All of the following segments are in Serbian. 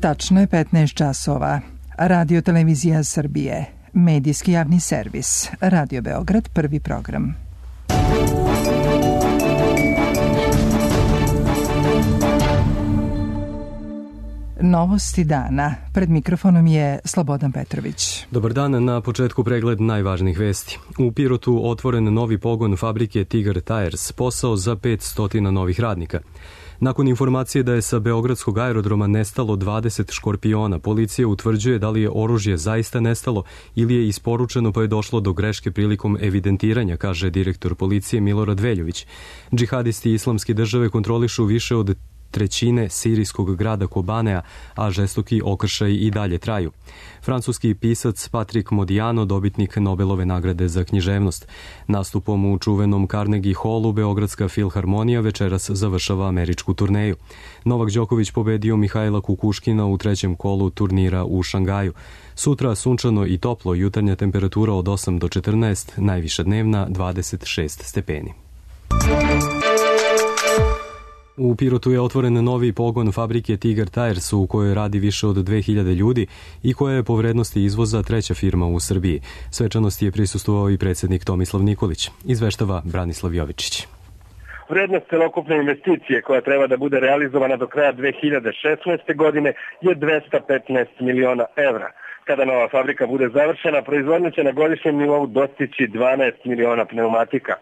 Tačno je 15 časova. Radio Televizija Srbije. Medijski javni servis. Radio Beograd, prvi program. Novosti dana. Pred mikrofonom je Slobodan Petrović. Dobar dan, na početku pregled najvažnijih vesti. U Pirotu otvoren novi pogon fabrike Tigar Tires, posao za 500 novih radnika. Nakon informacije da je sa beogradskog aerodroma nestalo 20 škorpiona, policija utvrđuje da li je oružje zaista nestalo ili je isporučeno pa je došlo do greške prilikom evidentiranja, kaže direktor policije Milorad Veljović. Džihadisti Islamske države kontrolišu više od trećine sirijskog grada Kobanea, a žestoki okršaji i dalje traju. Francuski pisac Patrick Modiano, dobitnik Nobelove nagrade za književnost. Nastupom u čuvenom Carnegie Hallu Beogradska filharmonija večeras završava američku turneju. Novak Đoković pobedio Mihajla Kukuškina u trećem kolu turnira u Šangaju. Sutra sunčano i toplo, jutarnja temperatura od 8 do 14, najviša dnevna 26 stepeni. U Pirotu je otvoren novi pogon fabrike Tigar Tires u kojoj radi više od 2000 ljudi i koja je po vrednosti izvoza treća firma u Srbiji. Svečanosti je prisustvovao i predsjednik Tomislav Nikolić. Izveštava Branislav Jovičić. Vrednost celokupne investicije koja treba da bude realizovana do kraja 2016. godine je 215 miliona evra. Kada nova fabrika bude završena, proizvodnja će na godišnjem nivou dostići 12 miliona pneumatika.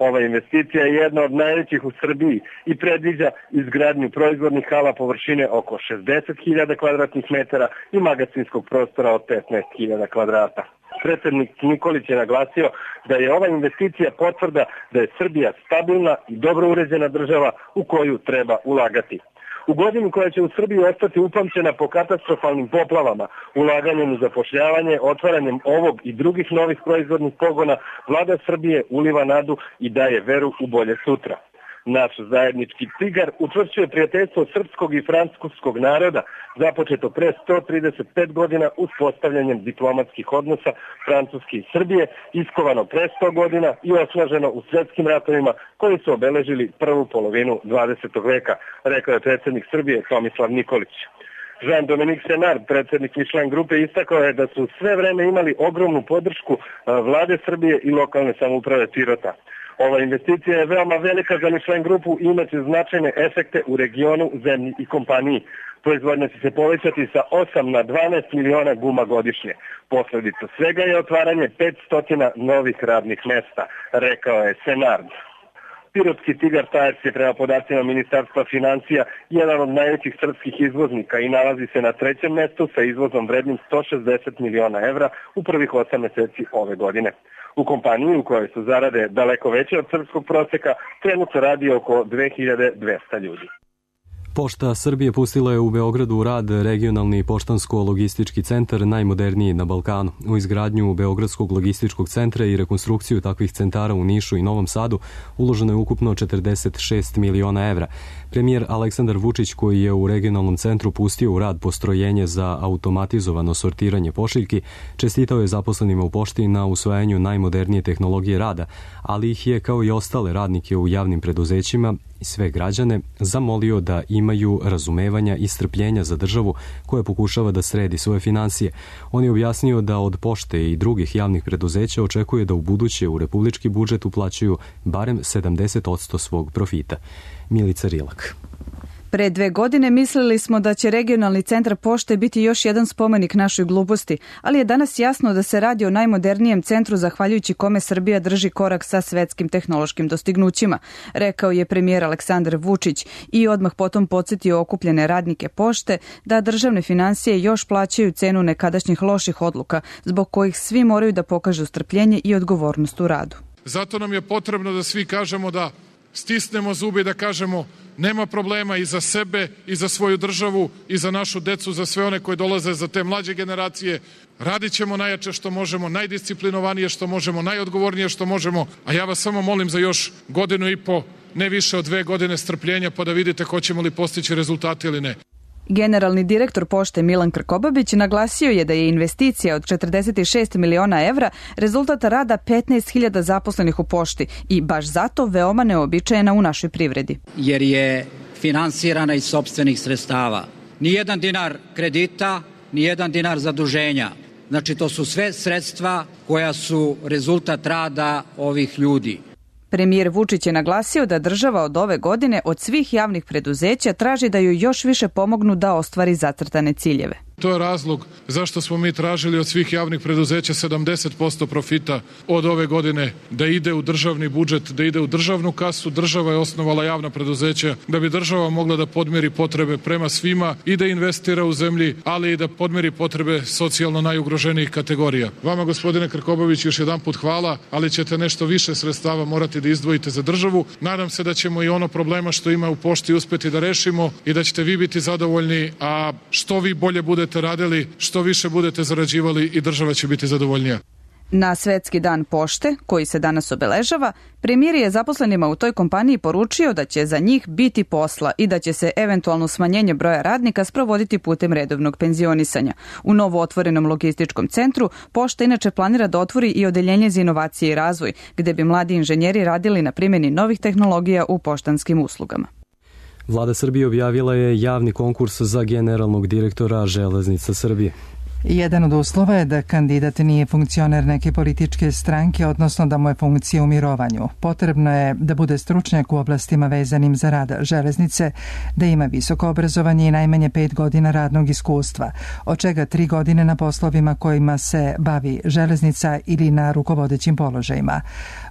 Ova investicija je jedna od najvećih u Srbiji i predviđa izgradnju proizvodnih hala površine oko 60.000 kvadratnih metara i magacinskog prostora od 15.000 kvadrata. Predsjednik Nikolić je naglasio da je ova investicija potvrda da je Srbija stabilna i dobro uređena država u koju treba ulagati. U godini koja će u Srbiji ostati upamćena po katastrofalnim poplavama, ulaganjem u zapošljavanje, otvaranjem ovog i drugih novih proizvodnih pogona, vlada Srbije uliva nadu i daje veru u bolje sutra. Naš zajednički Tigar učvršćuje prijateljstvo srpskog i francuskog naroda, započeto pre 135 godina uspostavljanjem diplomatskih odnosa Francuske i Srbije, iskovano pre 100 godina i osnaženo u svjetskim ratovima koji su obeležili prvu polovinu 20. veka, rekao je predsjednik Srbije Tomislav Nikolić. Jean-Dominique Senard, predsjednik Michelin grupe, istakao je da su sve vreme imali ogromnu podršku vlade Srbije i lokalne samouprave Pirota. Ova investicija je veoma velika za Michelin grupu i imaće značajne efekte u regionu, zemlji i kompaniji. Proizvodnja će se povećati sa 8 na 12 miliona guma godišnje. Posljedica svega je otvaranje 500 novih radnih mesta, rekao je Senard. Pirotski Tigar Tires je prema podacima Ministarstva financija jedan od najvećih srpskih izvoznika i nalazi se na trećem mjestu sa izvozom vrednim 160 miliona evra u prvih 8 mjeseci ove godine. U kompaniji u kojoj su zarade daleko veće od srpskog prosjeka trenutno radi oko 2200 ljudi. Pošta Srbije pustila je u Beogradu u rad regionalni poštansko-logistički centar, najmoderniji na Balkanu. U izgradnju Beogradskog logističkog centra i rekonstrukciju takvih centara u Nišu i Novom Sadu uloženo je ukupno 46 miliona evra. Premijer Aleksandar Vučić, koji je u regionalnom centru pustio u rad postrojenje za automatizovano sortiranje pošiljki, čestitao je zaposlenima u pošti na usvajanju najmodernije tehnologije rada, ali ih je, kao i ostale radnike u javnim preduzećima i sve građane, zamolio da imaju razumevanja i strpljenja za državu koja pokušava da sredi svoje financije. On je objasnio da od pošte i drugih javnih preduzeća očekuje da u buduće u republički budžet uplaćuju barem 70% svog profita. Milica Rilak. Pre 2 godine mislili smo da će regionalni centar pošte biti još jedan spomenik našoj gluposti, ali je danas jasno da se radi o najmodernijem centru zahvaljujući kome Srbija drži korak sa svetskim tehnološkim dostignućima, rekao je premijer Aleksandar Vučić i odmah potom podsjetio okupljene radnike pošte da državne financije još plaćaju cenu nekadašnjih loših odluka, zbog kojih svi moraju da pokažu strpljenje i odgovornost u radu. Zato nam je potrebno da svi kažemo da stisnemo zube i da kažemo nema problema i za sebe i za svoju državu i za našu decu, za sve one koji dolaze, za te mlađe generacije. Radit ćemo najjače što možemo, najdisciplinovanije što možemo, najodgovornije što možemo, a ja vas samo molim za još 1,5 godine, ne više od 2 godine strpljenja, pa da vidite hoćemo li postići rezultate ili ne. Generalni direktor pošte Milan Krkobabić naglasio je da je investicija od 46 miliona evra rezultat rada 15.000 zaposlenih u pošti i baš zato veoma neobičajena u našoj privredi. Jer je finansirana iz sopstvenih sredstava. ni jedan dinar kredita, ni jedan dinar zaduženja. Znači, to su sve sredstva koja su rezultat rada ovih ljudi. Premijer Vučić je naglasio da država od ove godine od svih javnih preduzeća traži da ju još više pomognu da ostvari zacrtane ciljeve. To je razlog zašto smo mi tražili od svih javnih preduzeća 70% profita od ove godine da ide u državni budžet, da ide u državnu kasu. Država je osnovala javna preduzeća da bi država mogla da podmiri potrebe prema svima i da investira u zemlji, ali i da podmiri potrebe socijalno najugroženijih kategorija. Vama, gospodine Krkobabić, još jedan put hvala, ali ćete nešto više sredstava morati da izdvojite za državu. Nadam se da ćemo i ono problema što ima u pošti uspeti da rešimo i da ćete vi biti zadovoljni, a što vi bolje budete radili, što više budete zarađivali i država će biti zadovoljnija. Na Svetski dan pošte, koji se danas obeležava, premijer je zaposlenima u toj kompaniji poručio da će za njih biti posla i da će se eventualno smanjenje broja radnika sprovoditi putem redovnog penzionisanja. U novo otvorenom logističkom centru pošta inače planira da otvori i odeljenje za inovacije i razvoj, gde bi mladi inženjeri radili na primjeni novih tehnologija u poštanskim uslugama. Vlada Srbije objavila je javni konkurs za generalnog direktora Železnica Srbije. Jedan od uslova je da kandidat nije funkcioner neke političke stranke, odnosno da mu je funkcija u mirovanju. Potrebno je da bude stručnjak u oblastima vezanim za rad železnice, da ima visoko obrazovanje i najmanje 5 godina radnog iskustva, od čega 3 godine na poslovima kojima se bavi železnica ili na rukovodećim položajima.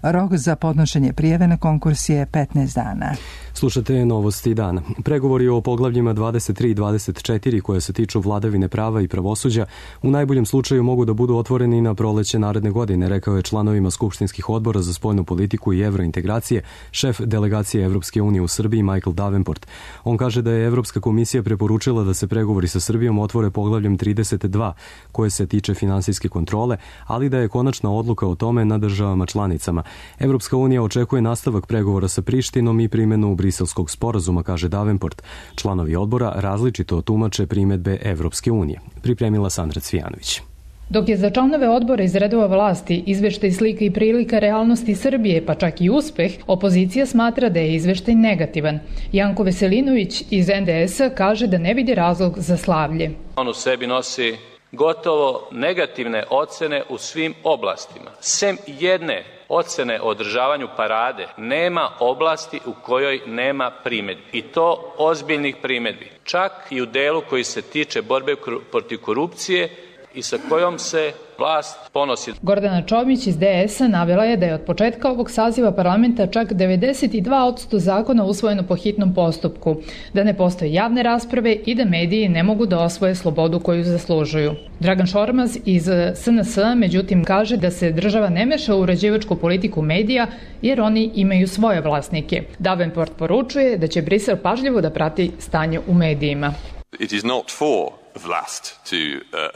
Rok za podnošenje prijave na konkurs je 15 dana. Slušate novosti dana. Pregovori o poglavljima 23 i 24 koje se tiču vladavine prava i pravosuđa u najboljem slučaju mogu da budu otvoreni na proleće naredne godine, rekao je članovima skupštinskih odbora za spoljnu politiku i evrointegracije šef delegacije Evropske unije u Srbiji Michael Davenport. On kaže da je Evropska komisija preporučila da se pregovori sa Srbijom otvore poglavljem 32 koje se tiče finansijske kontrole, ali da je konačna odluka o tome na državama članicama. Evropska unija očekuje nastavak pregovora sa Prištinom i primjenu Briselskog sporazuma, kaže Davenport. Članovi odbora različito tumače primedbe Evropske unije. Pripremila Sandra Cvijanović. Dok je za članove odbora iz redova vlasti izveštaj slika i prilika realnosti Srbije, pa čak i uspeh, opozicija smatra da je izveštaj negativan. Janko Veselinović iz NDS-a kaže da ne vidi razlog za slavlje. On u sebi nosi gotovo negativne ocene u svim oblastima. Sem jedne ocene o održavanju parade, nema oblasti u kojoj nema primedbi. I to ozbiljnih primedbi. Čak i u delu koji se tiče borbe protiv korupcije i sa kojom se vlast ponosi. Gordana Čomić iz DS-a navela je da je od početka ovog saziva parlamenta čak 92% zakona usvojeno po hitnom postupku, da ne postoje javne rasprave i da mediji ne mogu da osvoje slobodu koju zaslužuju. Dragan Šormaz iz SNS-a međutim kaže da se država ne meša u uređivačku politiku medija jer oni imaju svoje vlasnike. Davenport poručuje da će Brisel pažljivo da prati stanje u medijima. It is not for vlast to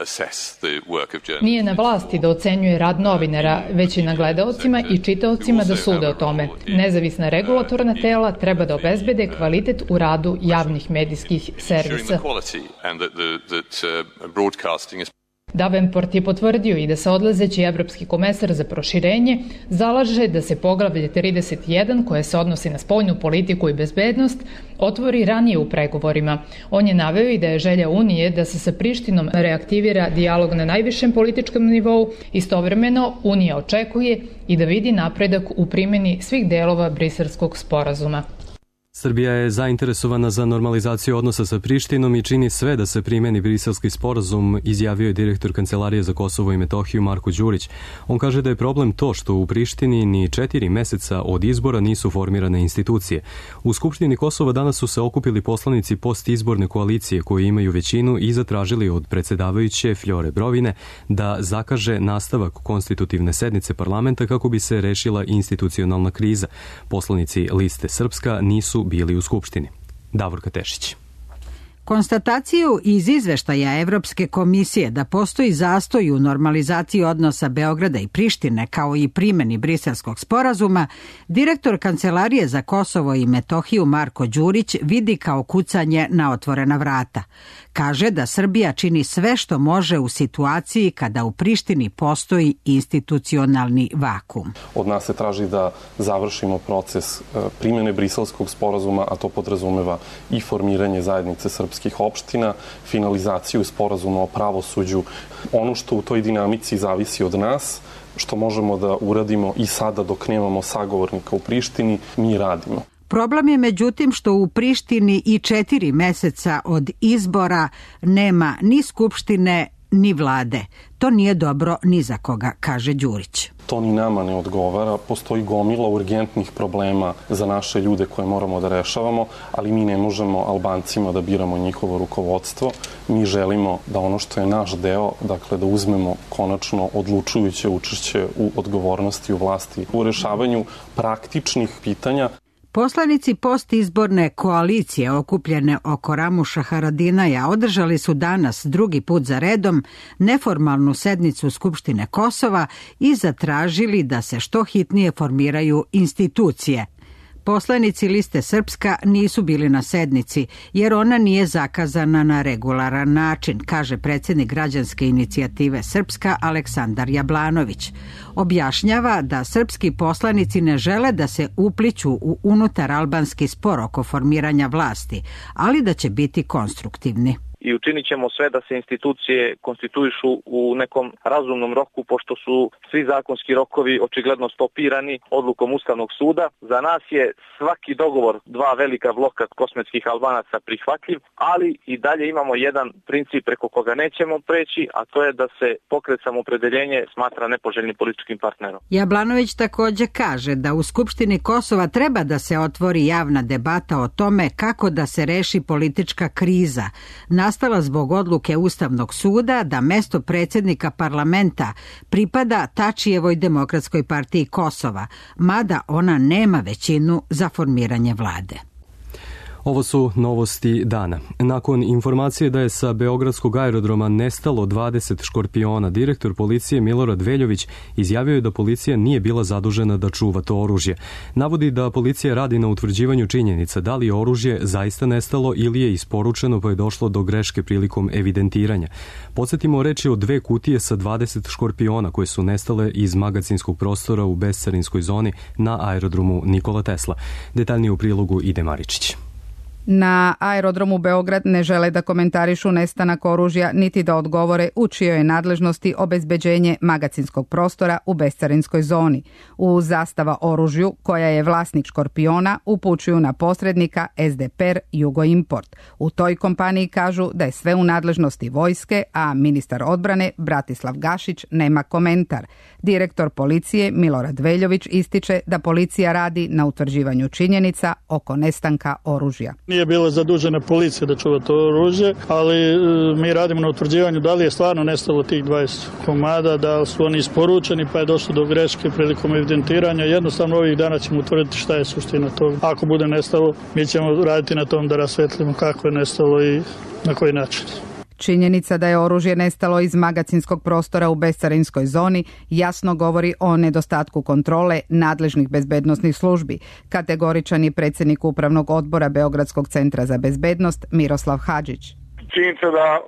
assess the work of journalists. Nije na vlasti da ocenjuje rad novinara, već i na gledaocima i čitaocima da sude o tome. Nezavisna regulatorna tela treba da obezbede kvalitet u radu javnih medijskih servisa. Davenport je potvrdio i da se odlazeći evropski komesar za proširenje zalaže da se poglavlje 31, koje se odnosi na spoljnu politiku i bezbednost, otvori ranije u pregovorima. On je naveo i da je želja Unije da se sa Prištinom reaktivira dijalog na najvišem političkom nivou. Istovremeno, Unija očekuje i da vidi napredak u primjeni svih delova Briselskog sporazuma. Srbija je zainteresovana za normalizaciju odnosa sa Prištinom i čini sve da se primeni Briselski sporazum, izjavio je direktor Kancelarije za Kosovo i Metohiju Marko Đurić. On kaže da je problem to što u Prištini ni 4 meseca od izbora nisu formirane institucije. U Skupštini Kosova danas su se okupili poslanici postizborne koalicije koji imaju većinu i zatražili od predsjedavajuće Fljore Brovine da zakaže nastavak konstitutivne sednice parlamenta kako bi se rešila institucionalna kriza. Poslanici Liste Srpska nisu bili u Skupštini. Davorka Tešić. Konstataciju iz izveštaja Evropske komisije da postoji zastoj u normalizaciji odnosa Beograda i Prištine kao i primjeni Briselskog sporazuma, direktor Kancelarije za Kosovo i Metohiju Marko Đurić vidi kao kucanje na otvorena vrata. Kaže da Srbija čini sve što može u situaciji kada u Prištini postoji institucionalni vakum. Od nas se traži da završimo proces primjene Briselskog sporazuma, a to podrazumeva i formiranje zajednice srpskih srpskih opština, finalizaciju sporazuma o pravosuđu. Ono što u toj dinamici zavisi od nas, što možemo da uradimo i sada dok nemamo sagovornika u Prištini, mi radimo. Problem je međutim što u Prištini i 4 meseca od izbora nema ni skupštine ni vlade. To nije dobro ni za koga, kaže Đurić. To ni nama ne odgovara. Postoji gomila urgentnih problema za naše ljude koje moramo da rešavamo, ali mi ne možemo Albancima da biramo njihovo rukovodstvo. Mi želimo da ono što je naš deo, dakle da uzmemo konačno odlučujuće učešće u odgovornosti u vlasti, u rešavanju praktičnih pitanja. Poslanici postizborne koalicije okupljene oko Ramuša Haradinaja održali su danas drugi put za redom neformalnu sednicu Skupštine Kosova i zatražili da se što hitnije formiraju institucije. Poslanici Liste Srpska nisu bili na sednici jer ona nije zakazana na regularan način, kaže predsjednik građanske inicijative Srpska Aleksandar Jablanović. Objašnjava da srpski poslanici ne žele da se upliću u unutar albanski spor oko formiranja vlasti, ali da će biti konstruktivni. I učinit ćemo sve da se institucije konstituišu u nekom razumnom roku, pošto su svi zakonski rokovi očigledno stopirani odlukom Ustavnog suda. Za nas je svaki dogovor dva velika bloka kosmetskih Albanaca prihvatljiv, ali i dalje imamo jedan princip preko koga nećemo preći, a to je da se pokret Samoopredeljenje smatra nepoželjnim političkim partnerom. Jablanović također kaže da u Skupštini Kosova treba da se otvori javna debata o tome kako da se reši politička kriza nastala zbog odluke Ustavnog suda da mesto predsjednika parlamenta pripada Tačijevoj Demokratskoj partiji Kosova, mada ona nema većinu za formiranje vlade. Ovo su novosti dana. Nakon informacije da je sa beogradskog aerodroma nestalo 20 škorpiona, direktor policije Milorad Veljović izjavio je da policija nije bila zadužena da čuva to oružje. Navodi da policija radi na utvrđivanju činjenica da li je oružje zaista nestalo ili je isporučeno pa je došlo do greške prilikom evidentiranja. Podsjetimo, reč je o 2 kutije sa 20 škorpiona koje su nestale iz magacinskog prostora u bescarinskoj zoni na aerodromu Nikola Tesla. Detaljnije u prilogu Ide Maričić. Na aerodromu Beograd ne žele da komentarišu nestanak oružja niti da odgovore u čijoj je nadležnosti obezbeđenje magacinskog prostora u bescarinskoj zoni. U zastava oružju, koja je vlasnik škorpiona, upućuju na posrednika SDPR Jugoimport. U toj kompaniji kažu da je sve u nadležnosti vojske, a ministar odbrane Bratislav Gašić nema komentar. Direktor policije Milorad Veljović ističe da policija radi na utvrđivanju činjenica oko nestanka oružja. Nije bila zadužena policija da čuva to oružje, ali mi radimo na utvrđivanju da li je stvarno nestalo tih 20 komada, da li su oni isporučeni pa je došlo do greške prilikom evidentiranja. Jednostavno ovih dana ćemo utvrditi šta je suština toga. Ako bude nestalo, mi ćemo raditi na tom da rasvetlimo kako je nestalo i na koji način. Činjenica da je oružje nestalo iz magacinskog prostora u bescarinskoj zoni jasno govori o nedostatku kontrole nadležnih bezbednosnih službi. Kategoričan je predsjednik Upravnog odbora Beogradskog centra za bezbednost Miroslav Hadžić. Činjenica da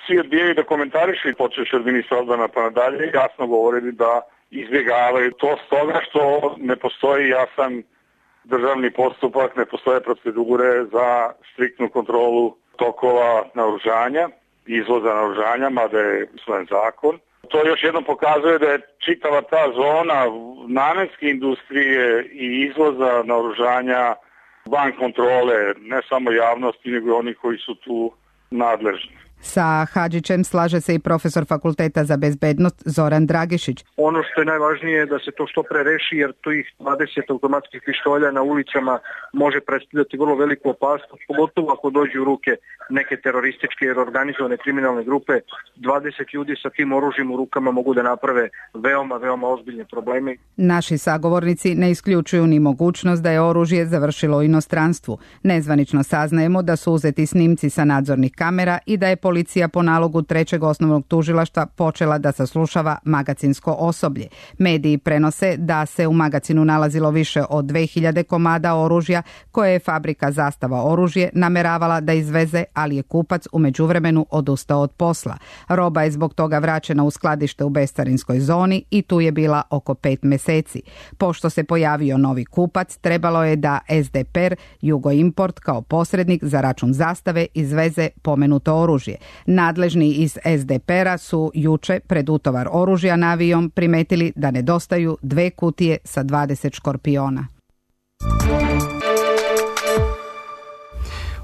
svi odbijaju da komentarišu i počeš od ministra odbrana pa nadalje, jasno govori da izbjegavaju to stoga što ne postoji jasan državni postupak, ne postoje procedure za striktnu kontrolu tokova naoružanja, izvoza naoružanja, mada je usvojen zakon. To još jednom pokazuje da je čitava ta zona namenske industrije i izvoza naoružanja van kontrole, ne samo javnosti, nego i onih koji su tu nadležni. Sa Hadžićem slaže se i profesor Fakulteta za bezbednost Zoran Dragišić. Ono što je najvažnije je da se to što pre reši, jer tih 20 automatskih pištolja na ulicama može predstavljati vrlo veliku opasnost, pogotovo ako dođe u ruke neke terorističke jer organizovane kriminalne grupe. 20 ljudi sa tim oružjem u rukama mogu da naprave veoma ozbiljne probleme. Naši sagovornici ne isključuju ni mogućnost da je oružje završilo u inostranstvu. Nezvanično saznajemo da su uzeti snimci sa nadzornih kamera i da je policija po nalogu trećeg osnovnog tužilaštva počela da saslušava magacinsko osoblje. Mediji prenose da se u magacinu nalazilo više od 2000 komada oružja koje je fabrika Zastava oružje nameravala da izveze, ali je kupac u međuvremenu odustao od posla. Roba je zbog toga vraćena u skladište u bescarinskoj zoni i tu je bila oko 5 meseci. Pošto se pojavio novi kupac, trebalo je da SDPR Jugoimport kao posrednik za račun Zastave izveze pomenuto oružje. Nadležni iz SDPR-a su juče pred utovar oružja na avion primetili da nedostaju 2 kutije sa 20 škorpiona.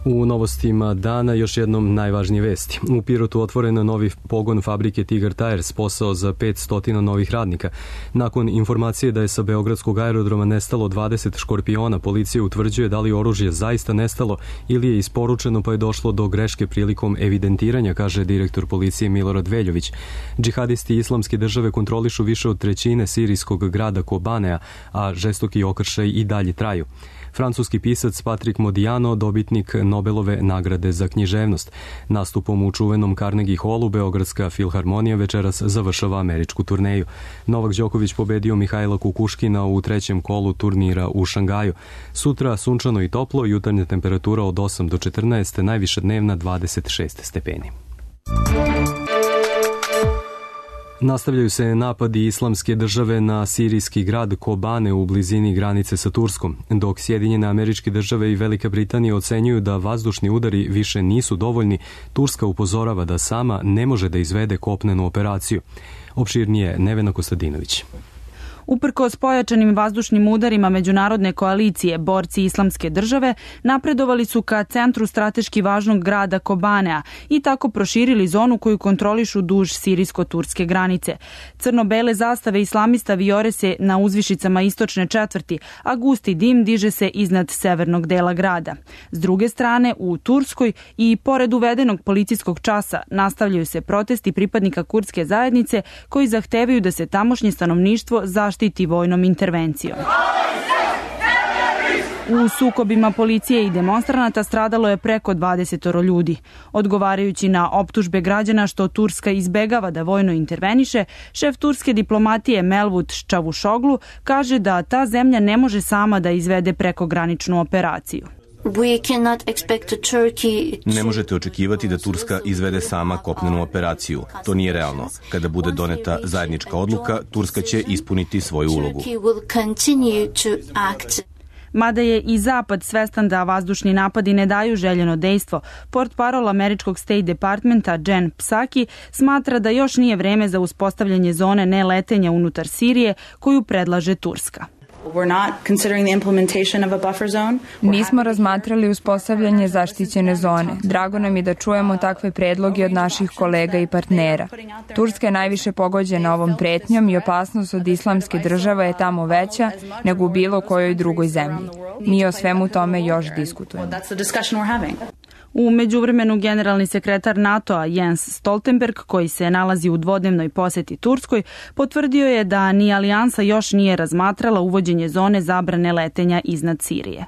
U novostima dana još jednom najvažnije vesti. U Pirotu otvoren novi pogon fabrike Tigar Tires, posao za 500 novih radnika. Nakon informacije da je sa beogradskog aerodroma nestalo 20 škorpiona, policija utvrđuje da li oružje zaista nestalo ili je isporučeno pa je došlo do greške prilikom evidentiranja, kaže direktor policije Milorad Veljović. Džihadisti Islamske države kontrolišu više od trećine sirijskog grada Kobanea, a žestoki okršaj i dalje traju. Francuski pisac Patrick Modiano, dobitnik Nobelove nagrade za književnost. Nastupom u čuvenom Carnegie Hallu Beogradska filharmonija večeras završava američku turneju. Novak Đoković pobedio Mihajla Kukuškina u trećem kolu turnira u Šangaju. Sutra sunčano i toplo, jutarnja temperatura od 8 do 14, najviša dnevna 26 stepeni. Nastavljaju se napadi Islamske države na sirijski grad Kobane u blizini granice sa Turskom, dok Sjedinjene Američke Države i Velika Britanija ocenjuju da vazdušni udari više nisu dovoljni. Turska upozorava da sama ne može da izvede kopnenu operaciju. Opširnije Nevena Kostadinović. Uprkos pojačanim vazdušnim udarima međunarodne koalicije, borci Islamske države napredovali su ka centru strateški važnog grada Kobanea i tako proširili zonu koju kontrolišu duž sirijsko-turske granice. Crno-bele zastave islamista vijore se na uzvišicama istočne četvrti, a gusti dim diže se iznad severnog dela grada. S druge strane, u Turskoj i pored uvedenog policijskog časa nastavljaju se protesti pripadnika kurdske zajednice koji zahtevaju da se tamošnje stanovništvo zaštiti vojnom intervencijom. U sukobima policije i demonstranata stradalo je preko 20 ljudi. Odgovarajući na optužbe građana što Turska izbegava da vojno interveniše, šef turske diplomatije Mevlut Čavuşoglu kaže da ta zemlja ne može sama da izvede prekograničnu operaciju. Ne možete očekivati da Turska izvede sama kopnenu operaciju. To nije realno. Kada bude doneta zajednička odluka, Turska će ispuniti svoju ulogu. Mada je i Zapad svestan da vazdušni napadi ne daju željeno dejstvo, portparol američkog State Departmenta Jen Psaki smatra da još nije vreme za uspostavljanje zone neletenja unutar Sirije koju predlaže Turska. Nismo razmatrali uspostavljanje zaštićene zone. Drago nam je da čujemo takve predloge od naših kolega i partnera. Turska je najviše pogođena ovom pretnjom i opasnost od Islamske države je tamo veća nego u bilo kojoj drugoj zemlji. Mi o svemu tome još diskutujemo. U međuvremenu generalni sekretar NATO-a Jens Stoltenberg, koji se nalazi u dvodnevnoj poseti Turskoj, potvrdio je da ni alijansa još nije razmatrala uvođenje zone zabrane letenja iznad Sirije.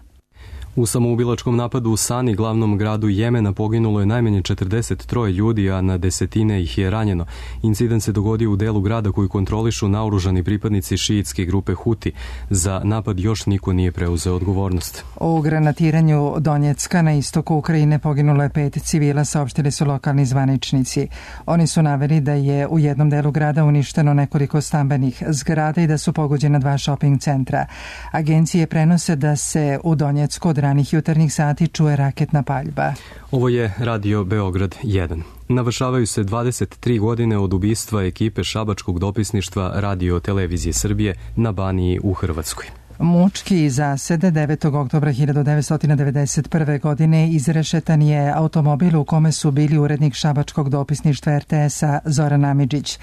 U samoubilačkom napadu u Sani, glavnom gradu Jemena, poginulo je najmanje 43 ljudi, a na desetine ih je ranjeno. Incident se dogodio u delu grada koji kontrolišu naoružani pripadnici šiitske grupe Huti. Za napad još niko nije preuzeo odgovornost. U granatiranju Donjecka na istoku Ukrajine poginulo je 5 civila, saopštili su lokalni zvaničnici. Oni su naveli da je u jednom delu grada uništeno nekoliko stambenih zgrada i da su pogođena 2 shopping centra. Agencije prenose da se u Donjecku od ranih jutarnjih sati čuje raketna paljba. Ovo je Radio Beograd 1. Navršavaju se 23 godine od ubistva ekipe šabačkog dopisništva Radio Televizije Srbije na Baniji u Hrvatskoj. Mučki zasede 9. oktobra 1991. godine izrešetan je automobil u kome su bili urednik šabačkog dopisništva RTS-a Zoran Amidžić,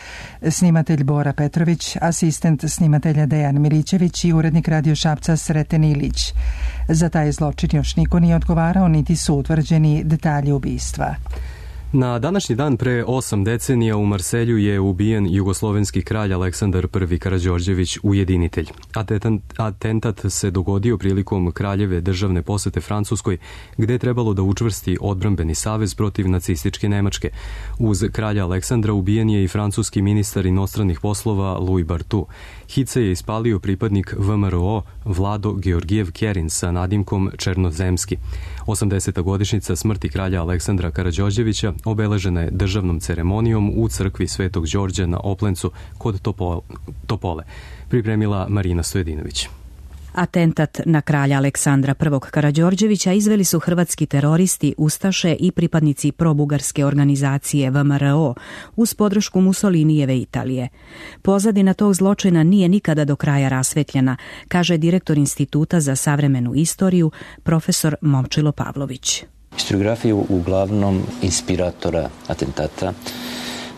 snimatelj Bora Petrović, asistent snimatelja Dejan Milićević i urednik Radio Šapca Sreten Ilić. Za taj zločin još niko nije odgovarao, niti su utvrđeni detalji ubistva. Na današnji dan pre 8 decenija u Marselju je ubijen jugoslovenski kralj Aleksandar I Karađorđević ujedinitelj. Atentat se dogodio prilikom kraljeve državne posete Francuskoj, gde je trebalo da učvrsti odbrambeni savez protiv nacističke Nemačke. Uz kralja Aleksandra ubijen je i francuski ministar inostranih poslova Louis Barthou. Hice je ispalio pripadnik VMRO Vlado Georgijev Kerin sa nadimkom Černozemski. 80. godišnjica smrti kralja Aleksandra Karađorđevića obeležena je državnom ceremonijom u crkvi Svetog Đorđa na Oplencu kod Topole. Pripremila Marina Stojedinović. Atentat na kralja Aleksandra I Karađorđevića izveli su hrvatski teroristi, ustaše i pripadnici probugarske organizacije VMRO uz podršku Mussolinijeve Italije. Pozadina tog zločina nije nikada do kraja rasvetljena, kaže direktor Instituta za savremenu istoriju, profesor Momčilo Pavlović. Historiografiju uglavnom inspiratora atentata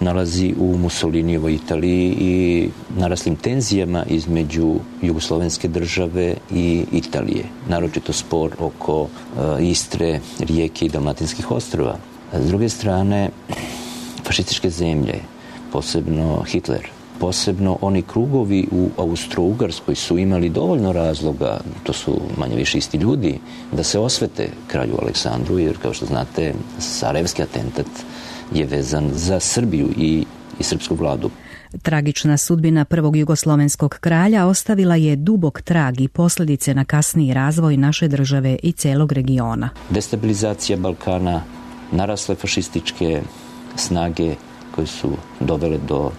nalazi u Mussolinijevoj Italiji i naraslim tenzijama između jugoslovenske države i Italije. Naročito spor oko Istre, Rijeke i Dalmatinskih ostrva. S druge strane, fašističke zemlje, posebno Hitler, posebno oni krugovi u Austro-Ugarskoj su imali dovoljno razloga, to su manje više isti ljudi, da se osvete kralju Aleksandru, jer kao što znate, sarajevski atentat je vezan za Srbiju i srpsku vladu. Tragična sudbina prvog jugoslovenskog kralja ostavila je dubok trag i posljedice na kasniji razvoj naše države i celog regiona. Destabilizacija Balkana, narasle fašističke snage koje su dovele do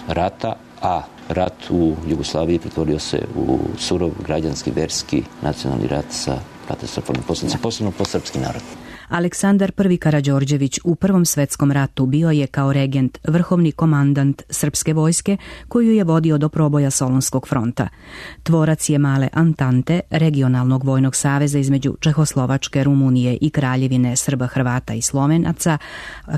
rata, a rat u Jugoslaviji pretvorio se u surov građanski, verski, nacionalni rat sa katastrofalnim posljedicama, posebno po srpski narod. Aleksandar I Karađorđević u Prvom svetskom ratu bio je kao regent vrhovni komandant srpske vojske koju je vodio do proboja Solunskog fronta. Tvorac je male Antante, regionalnog vojnog saveza između Čehoslovačke, Rumunije i Kraljevine Srba, Hrvata i Slovenaca,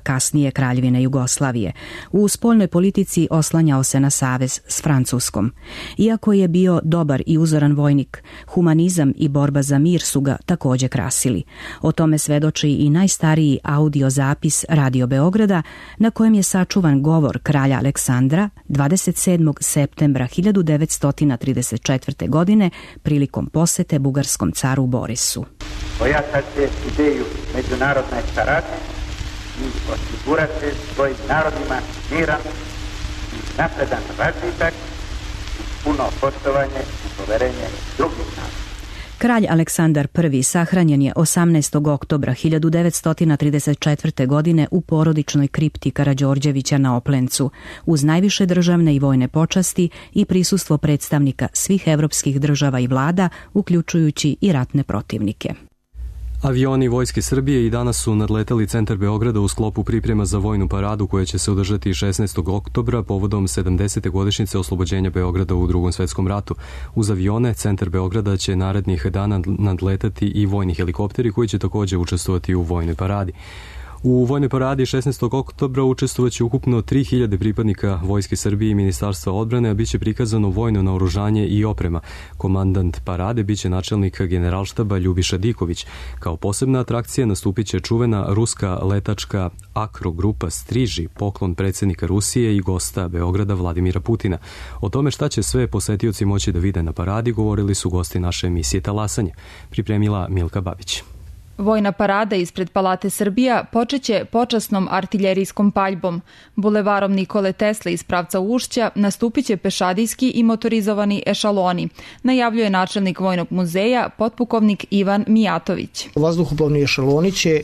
kasnije Kraljevine Jugoslavije. U spoljnoj politici oslanjao se na savez s Francuskom. Iako je bio dobar i uzoran vojnik, humanizam i borba za mir su ga također krasili. O tome svedoči i najstariji audio zapis Radio Beograda na kojem je sačuvan govor kralja Aleksandra 27. septembra 1934. godine prilikom posete bugarskom caru Borisu. Ojačate ideju međunarodne saradnje i osigurate svojim narodima miran i napredan razvitak i puno poštovanje i poverenje drugih naroda. Kralj Aleksandar I sahranjen je 18. oktobra 1934. godine u porodičnoj kripti Karađorđevića na Oplencu, uz najviše državne i vojne počasti i prisustvo predstavnika svih evropskih država i vlada, uključujući i ratne protivnike. Avioni Vojske Srbije i danas su nadleteli centar Beograda u sklopu priprema za vojnu paradu koja će se održati 16. oktobra povodom 70. godišnjice oslobođenja Beograda u Drugom svetskom ratu. Uz avione centar Beograda će narednih dana nadletati i vojni helikopteri koji će također učestvovati u vojnoj paradi. U vojnoj paradi 16. oktobra učestvovaće ukupno 3000 pripadnika Vojske Srbije i Ministarstva odbrane, a bit će prikazano vojno naoružanje i oprema. Komandant parade biće načelnik generalštaba Ljubiša Diković. Kao posebna atrakcija nastupit će čuvena ruska letačka akrogrupa Striži, poklon predsjednika Rusije i gosta Beograda Vladimira Putina. O tome šta će sve posetioci moći da vide na paradi govorili su gosti naše emisije Talasanje. Pripremila Milka Babić. Vojna parada ispred Palate Srbija počeće počasnom artiljerijskom paljbom. Bulevarom Nikole Tesle iz pravca Ušća nastupiće pešadijski i motorizovani ešaloni, najavljuje načelnik Vojnog muzeja, potpukovnik Ivan Mijatović. Vazduhoplovni ešaloni će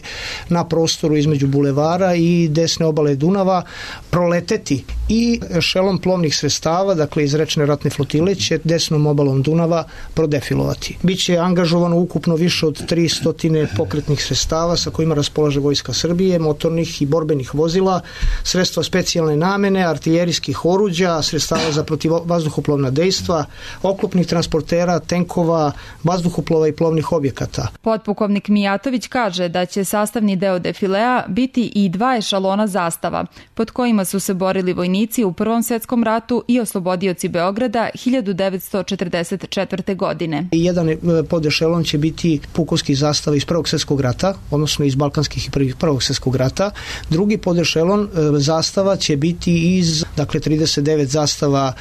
na prostoru između bulevara i desne obale Dunava proleteti i ešelon plovnih sredstava, dakle iz rečne ratne flotile, će desnom obalom Dunava prodefilovati. Biće angažovano ukupno više od 300 pokretnih sredstava sa kojima raspolaže Vojska Srbije, motornih i borbenih vozila, sredstva specijalne namene, artiljerijskih oruđa, sredstava za protivvazduhoplovna dejstva, oklopnih transportera, tenkova, vazduhoplova i plovnih objekata. Potpukovnik Mijatović kaže da će sastavni deo defilea biti i 2 ešalona zastava, pod kojima su se borili vojnici u Prvom svetskom ratu i oslobodioci Beograda 1944. godine. Jedan podešelon će biti pukovski zastava iz Prvog svjetskog svjetskog rata, odnosno iz balkanskih i prvog svjetskog rata. Drugi podešelon zastava će biti iz, dakle, 39 zastava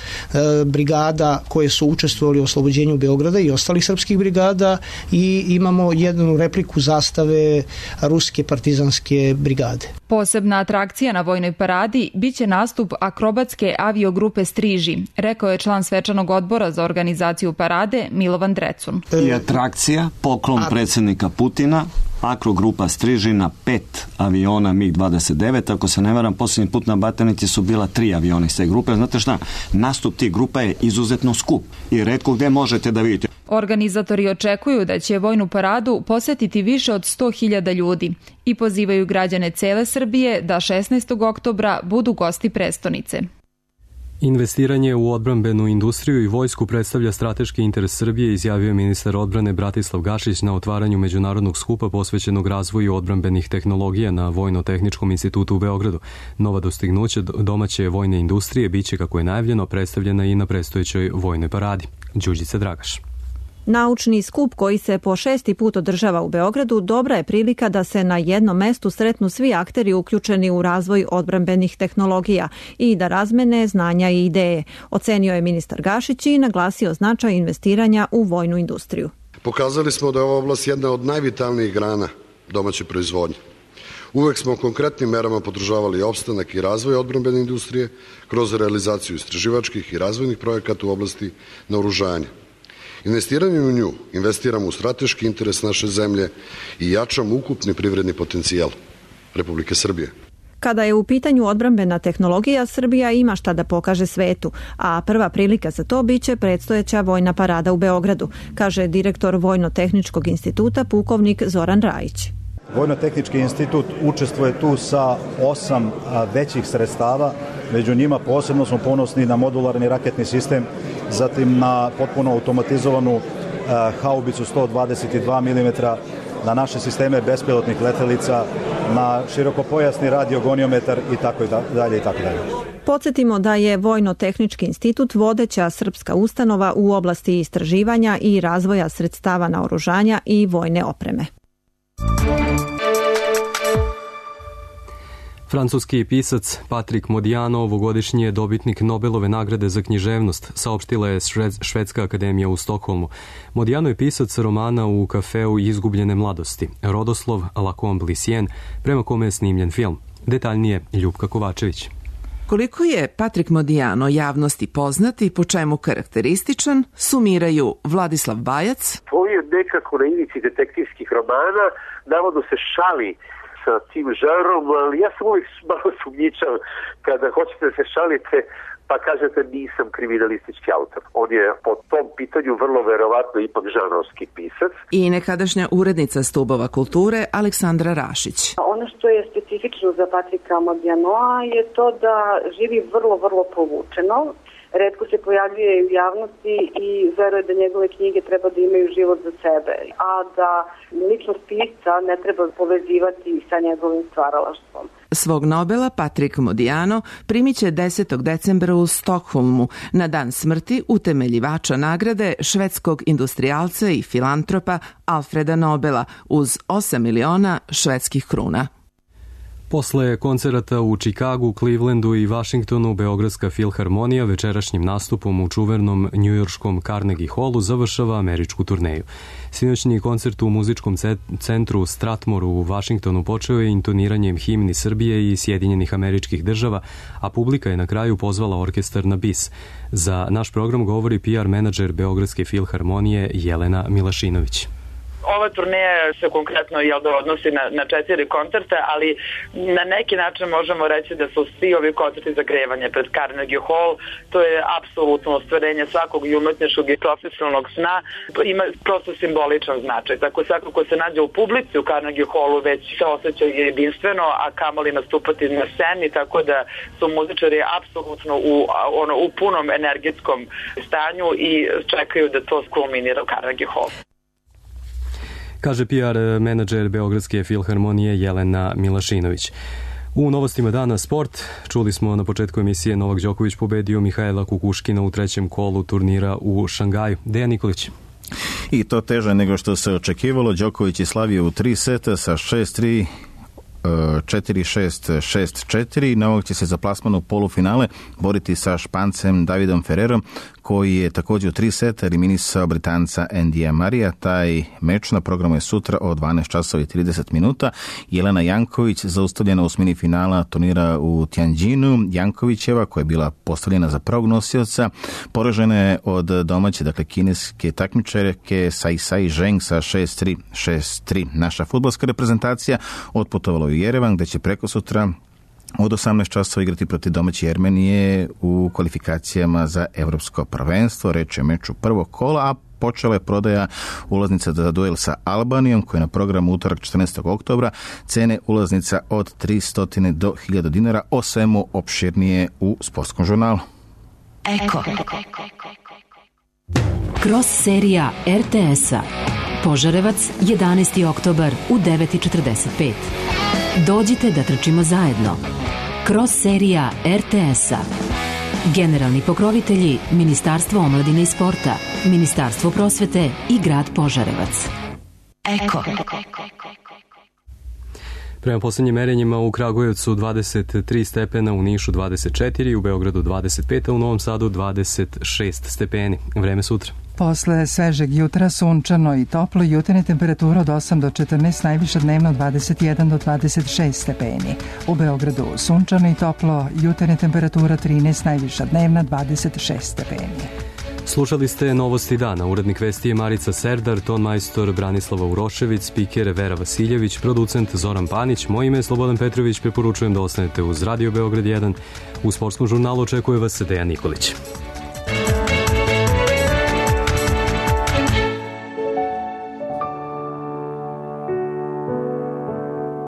brigada koje su učestvovali u oslobođenju Beograda i ostalih srpskih brigada, i imamo jednu repliku zastave ruske partizanske brigade. Posebna atrakcija na vojnoj paradi biće nastup akrobatske aviogrupe Striži, rekao je član svečanog odbora za organizaciju parade Milovan Drecun. I atrakcija, poklon predsjednika Putina, akrogrupa Striži na 5 aviona MiG-29, ako se ne varam, posljednji put na Batajnici su bila 3 aviona iz te grupe. Znate šta, nastup tih grupa je izuzetno skup i retko gdje možete da vidite. Organizatori očekuju da će vojnu paradu posetiti više od 100.000 ljudi i pozivaju građane cele Srbije da 16. oktobra budu gosti prestonice. Investiranje u odbrambenu industriju i vojsku predstavlja strateški interes Srbije, izjavio je ministar odbrane Bratislav Gašić na otvaranju međunarodnog skupa posvećenog razvoju odbrambenih tehnologija na Vojno-tehničkom institutu u Beogradu. Nova dostignuća domaće vojne industrije biće, kako je najavljeno, predstavljena i na predstojećoj vojnoj paradi. Đurđica Dragaš. Naučni skup koji se po 6. put održava u Beogradu dobra je prilika da se na jednom mestu sretnu svi akteri uključeni u razvoj odbrambenih tehnologija i da razmene znanja i ideje, ocenio je ministar Gašić i naglasio značaj investiranja u vojnu industriju. Pokazali smo da je ova oblast jedna od najvitalnijih grana domaće proizvodnje. Uvek smo konkretnim merama podržavali opstanak i razvoj odbrambene industrije kroz realizaciju istraživačkih i razvojnih projekata u oblasti naoružanja. Investiranjem u nju investiramo u strateški interes naše zemlje i jačamo ukupni privredni potencijal Republike Srbije. Kada je u pitanju odbrambena tehnologija, Srbija ima šta da pokaže svetu, a prva prilika za to biće predstojeća vojna parada u Beogradu, kaže direktor Vojno-tehničkog instituta pukovnik Zoran Rajić. Vojno-tehnički institut učestvuje tu sa 8 većih sredstava, među njima posebno smo ponosni na modularni raketni sistem, zatim na potpuno automatizovanu haubicu 122 mm, na naše sisteme bespilotnih letelica, na širokopojasni radiogoniometar i tako dalje i tako dalje. Podsjetimo da je Vojno-tehnički institut vodeća srpska ustanova u oblasti istraživanja i razvoja sredstava naoružanja i vojne opreme. Francuski pisac Patrick Modiano ovogodišnji je dobitnik Nobelove nagrade za književnost, saopštila je Švedska akademija u Stokholmu. Modiano je pisac romana U kafeu izgubljene mladosti, rodoslov La Comblicienne, prema kome je snimljen film. Detaljnije Ljupka Kovačević. Koliko je Patrick Modiano javnosti poznat i po čemu karakterističan, sumiraju Vladislav Bajac. To je nekako na ivici detektivskih romana, navodno se šali sa tim žanrom, ali ja sam uvijek malo sumnjičav kada hoćete da se šalite pa kažete nisam kriminalistički autor. On je po tom pitanju vrlo verovatno ipak žanrovski pisac. I nekadašnja urednica Stubova kulture Aleksandra Rašić. Ono što je specifično za Patrika Modianoa je to da živi vrlo povučeno. Retko se pojavljuje u javnosti i veruje da njegove knjige treba da imaju život za sebe, a da ličnost pisca ne treba povezivati sa njegovim stvaralaštvom. Svog Nobela Patrick Modiano primit će 10. decembra u Stokholmu na dan smrti utemeljivača nagrade švedskog industrijalca i filantropa Alfreda Nobela uz 8 miliona švedskih kruna. Posle koncerata u Čikagu, Clevelandu i Vašingtonu, Beogradska filharmonija večerašnjim nastupom u čuvenom njujorškom Carnegie Hallu završava američku turneju. Sinoćni koncert u muzičkom centru Stratmoru u Vašingtonu počeo je intoniranjem himni Srbije i Sjedinjenih Američkih Država, a publika je na kraju pozvala orkestar na bis. Za naš program govori PR menadžer Beogradske filharmonije Jelena Milašinović. Ova turneja se konkretno odnosi na 4 koncerte, ali na neki način možemo reći da su svi ovi koncerti zagrevanje pred Carnegie Hall. To je apsolutno ostvarenje svakog i umetničkog i profesionalnog sna. Ima prosto simboličan značaj. Tako svako ko se nađe u publici u Carnegie Hallu već se osjeća jedinstveno, a kamoli nastupati na sceni, tako da su muzičari apsolutno u punom energetskom stanju i čekaju da to skulminira u Carnegie Hall. Kaže PR menadžer Beogradske filharmonije Jelena Milašinović. U novostima dana sport čuli smo na početku emisije Novak Đoković pobedio Mihajla Kukuškina u trećem kolu turnira u Šangaju. Dejan Nikolić. I to teže nego što se očekivalo. Đoković je slavio u 3 seta sa 6-3, 4-6, 6-4. Na ovog će se za plasman u polufinale boriti sa Špancem Davidom Ferrerom, koji je također u 3 seta eliminisao Britanca Andyja Murraya. Taj meč na programu je sutra o 12 časova i 30 minuta. Jelena Janković zaustavljena u osmini finala turnira u Tianjinu. Jankovićeva, koja je bila postavljena za prvog nosioca, poražena je od domaće, dakle kineske takmičarke Sai Zheng sa 6-3, 6-3. Naša fudbalska reprezentacija otputovala u Jerevan, gde će preko sutra od 18 časova igrati protiv domaće Armenije u kvalifikacijama za evropsko prvenstvo. Reč je o meču prvog kola, a počela je prodaja ulaznica za duel sa Albanijom, koja je na programu utorak 14. oktobra. Cene ulaznica od 300 do 1000 dinara, o svemu opširnije u Sportskom žurnalu. Eko. Cross serija RTS-a. Požarevac, 11. oktobar u 9:45. Dođite da trčimo zajedno. Cross serija RTS-a. Generalni pokrovitelji Ministarstvo omladine i sporta, Ministarstvo prosvete i grad Požarevac. Eko. Prema posljednjim merenjima u Kragujevcu 23 stepena, u Nišu 24, u Beogradu 25, a u Novom Sadu 26 stepeni. Vreme sutra. Posle svežeg jutra sunčano i toplo, jutarnja temperatura od 8 do 14, najviša dnevno 21 do 26 stepeni. U Beogradu sunčano i toplo, jutarnja temperatura 13, najviša dnevna 26 stepeni. Slušali ste Novosti dana. Urednik vesti je Marica Serdar, ton majstor Branislava Urošević, spiker Vera Vasiljević, producent Zoran Panić. Moje ime je Slobodan Petrović, preporučujem da ostanete uz Radio Beograd 1. U Sportskom žurnalu očekuje vas Dejan Nikolić.